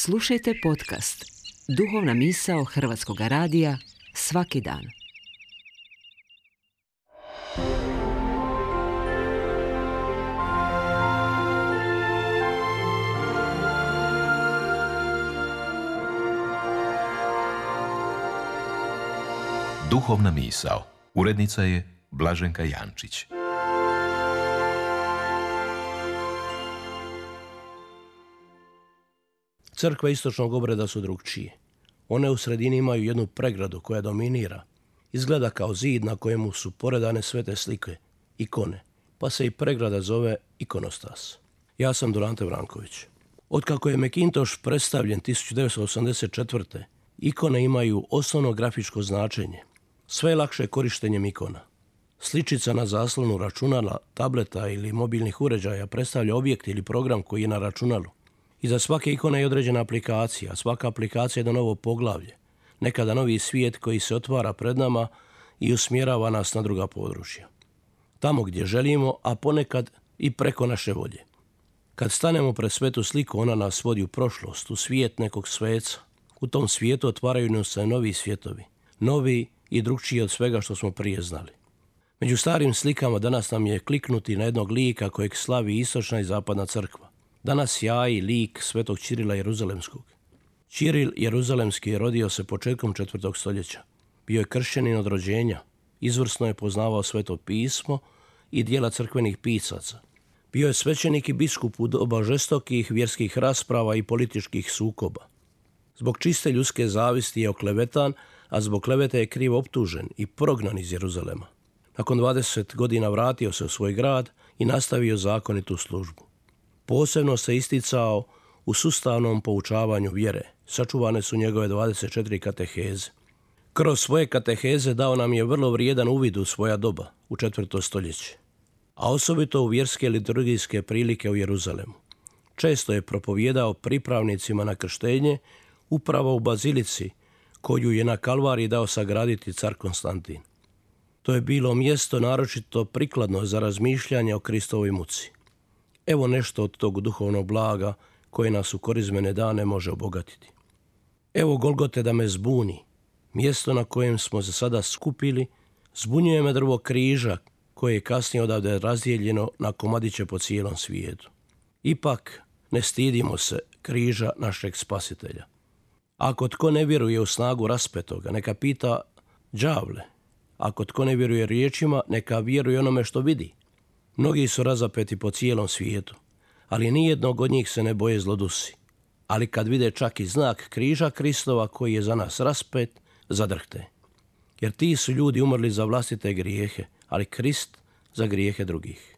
Slušajte podcast Duhovna misao Hrvatskog radija svaki dan. Duhovna misao. Urednica je Blaženka Jančić. Crkve istočnog obreda su drugčije. One u sredini imaju jednu pregradu koja dominira. Izgleda kao zid na kojemu su poredane svete slike, ikone, pa se i pregrada zove ikonostas. Ja sam Durante Vranković. Otkako je Mekintoš predstavljen 1984. ikone imaju osnovno grafičko značenje. Sve je lakše korištenjem ikona. Sličica na zaslonu računala, tableta ili mobilnih uređaja predstavlja objekt ili program koji je na računalu. Iza svake ikone je određena aplikacija, svaka aplikacija je jedno novo poglavlje, nekada novi svijet koji se otvara pred nama i usmjerava nas na druga područja. Tamo gdje želimo, a ponekad i preko naše volje. Kad stanemo pred svetu sliku, ona nas vodi u prošlost, u svijet nekog sveca. U tom svijetu otvaraju nam se novi svijetovi, novi i drugčiji od svega što smo prije znali. Među starim slikama danas nam je kliknuti na jednog lika kojeg slavi istočna i zapadna crkva. Danas jaji lik svetog Ćirila Jeruzalemskog. Ćiril Jeruzalemski rodio se početkom 4. stoljeća. Bio je kršćanin od rođenja. Izvrsno je poznavao sveto pismo i dijela crkvenih pisaca. Bio je svećenik i biskup u doba žestokih vjerskih rasprava i političkih sukoba. Zbog čiste ljudske zavisti je oklevetan, a zbog klevete je krivo optužen i prognan iz Jeruzalema. Nakon 20 godina vratio se u svoj grad i nastavio zakonitu službu. Posebno se isticao u sustavnom poučavanju vjere. Sačuvane su njegove 24 kateheze. Kroz svoje kateheze dao nam je vrlo vrijedan uvid u svoja doba, u 4. stoljeće, a osobito u vjerske liturgijske prilike u Jeruzalemu. Često je propovijedao pripravnicima na krštenje upravo u bazilici koju je na Kalvariji dao sagraditi car Konstantin. To je bilo mjesto naročito prikladno za razmišljanje o Kristovoj muci. Evo nešto od tog duhovnog blaga koje nas u korizmene dane može obogatiti. Evo Golgote da me zbuni, mjesto na kojem smo se sada skupili, zbunjuje me drvo križa koje je kasnije odavde razdijeljeno na komadiće po cijelom svijetu. Ipak ne stidimo se križa našeg spasitelja. Ako tko ne vjeruje u snagu raspetoga, neka pita đavle. Ako tko ne vjeruje riječima, neka vjeruje onome što vidi. Mnogi su razapeti po cijelom svijetu, ali nijednog od njih se ne boje zlodusi. Ali kad vide čak i znak križa Kristova koji je za nas raspet, zadrhte. Jer ti su ljudi umrli za vlastite grijehe, ali Krist za grijehe drugih.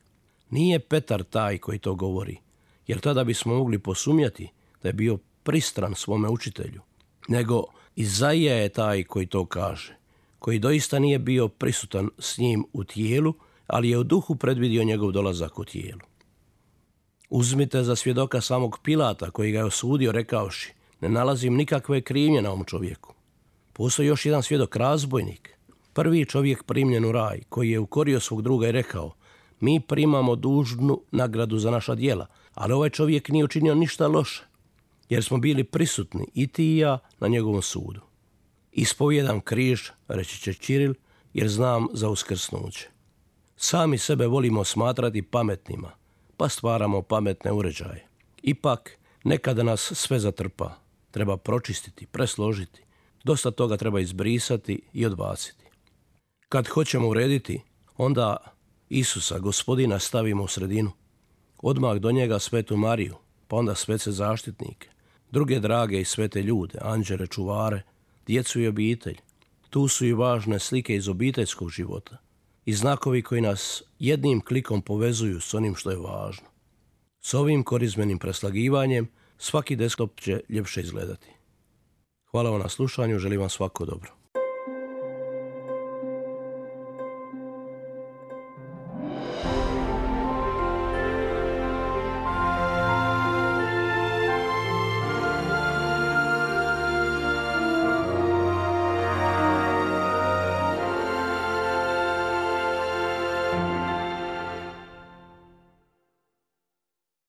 Nije Petar taj koji to govori, jer tada bismo mogli posumnjati da je bio pristran svome učitelju. Nego Izaija je taj koji to kaže, koji doista nije bio prisutan s njim u tijelu, ali je u duhu predvidio njegov dolazak u tijelu. Uzmite za svjedoka samog Pilata koji ga je osudio rekavši: ne nalazim nikakve krivnje na ovom čovjeku. Postoji još jedan svjedok, razbojnik, prvi čovjek primljen u raj, koji je ukorio svog druga i rekao: mi primamo dužnu nagradu za naša djela, ali ovaj čovjek nije učinio ništa loše, jer smo bili prisutni i ti i ja na njegovom sudu. Ispovijedam križ, reći će Ćiril, jer znam za uskrsnuće. Sami sebe volimo smatrati pametnima, pa stvaramo pametne uređaje. Ipak, nekada nas sve zatrpa. Treba pročistiti, presložiti. Dosta toga treba izbrisati i odbaciti. Kad hoćemo urediti, onda Isusa, Gospodina, stavimo u sredinu. Odmah do njega Svetu Mariju, pa onda svete zaštitnike, druge drage i svete ljude, anđele, čuvare, djecu i obitelj. Tu su i važne slike iz obiteljskog života i znakovi koji nas jednim klikom povezuju s onim što je važno. S ovim korizmenim preslagivanjem svaki desktop će ljepše izgledati. Hvala vam na slušanju, želim vam svako dobro.